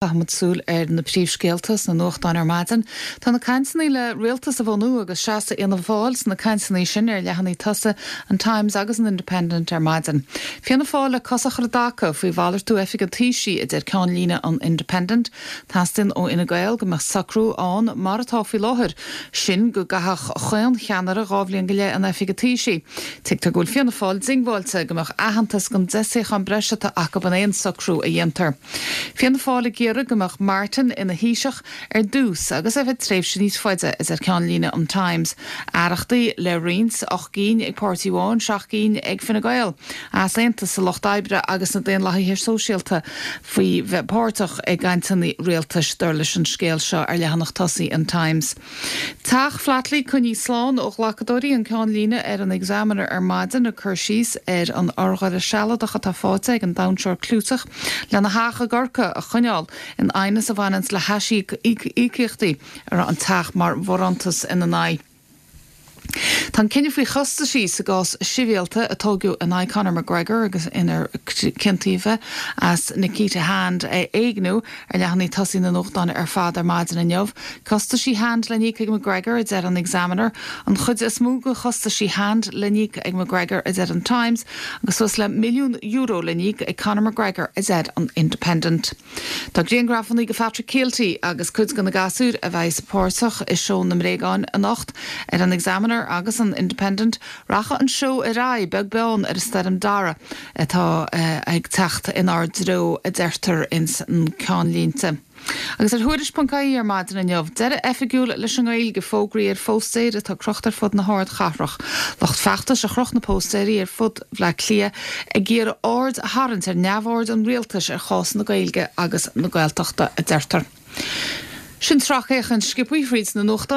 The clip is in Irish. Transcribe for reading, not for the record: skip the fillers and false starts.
Caithfimid súil ar na príomhscéalta sna nuachtáin ar maidin. Tá na cainteanna le rialtas a bhunú agus seasamh Fhianna Fáil sna cainteanna sin ar leathanaigh tosaigh an Times agus an Independent ar maidin. Fianna Fáil le cosa a chur i dtaca faoi mhalartú oifig an Taoisigh, a deir ceannlíne an Independent. Teastaíonn ó Fhine Gael go mbeadh socrú ann mar atá faoi láthair, sin go gcaithfeadh chaon cheannaire 2 bhliain go leith in oifig an Taoisigh. Tuigtear go bhfuil Fianna Fáil diongbháilte go mbeadh aitheantas don 10 suíochán breise atá acu in aon socrú a dhéantar. Fianna Fáil ag iarraidh go mbeadh Martin ina Thaoiseach ar dtús agus ar feadh tréimhse níos faide, a deir ceannlíne an Times. Aireachtaí le roinnt, 8 gcinn ag páirtí amháin, 7 gcinn ag Fine Gael. Easaontas sa Lucht Oibre agus sna Daonlathaithe Sóisialta faoi bheith páirteach i gcainteanna rialtais, dar leis an scéal seo ar leathanach tosaigh an Times. Teach Flatley coinnithe slán ó ghlacadóirí, an ceannlíne ar an Examiner ar maidin, ag cur síos ar an urghaire sealadach atá faighte ag an damhsóir clúiteach lena theach i gCorcaigh a choinneáil in aighneas a bhaineanns le haisíocaíochtaí a raibh an teach mar bharántas ina n-aghaidh. Tá an cinneadh faoi chostaisí sa gcás sibhialta a tógadh in aghaidh Conor McGregor agus inar ciontaíodh é as Nikita Hand a éigniú ar leathanaigh tosaigh na nuachtán ar fad ar maidin inniu. Costaisí Hand le n-íoc ag McGregor, a deir an Examiner. An chuid is mó de chostaisí Hand le n-íoc ag McGregor, a deir an Times, agus suas le €1 milliún le n-íoc ag Conor McGregor, a deir an Independent. Tá grianghrafanna de Phatrick Kielty agus cuid de na gasúir a bheas páirteach i Seó na mBréagán anocht ar an Examiner agus an Independent. Rachaidh an seó ar aghaidh, beag beann ar an stoirm Darragh atá ag teacht inár dtreo, a deirtear ins na ceannlínte. Agus ar Thuairisc.ie ar maidin inniu, deireadh oifigiúil leis an nGaeilge, fógraí ar phóstaeir atá crochta ar fud na hardchathrach. Lucht feachtais a chroch na póstaeirí ar fud Bhaile Átha Cliath ag iarraidh aird a tharraingt ar neamhaird an rialtais ar chás na Gaeilge agus na Gaeltachta, a deirtear. Sin sracfhéachaint sciobtha thríd na nuachtáin.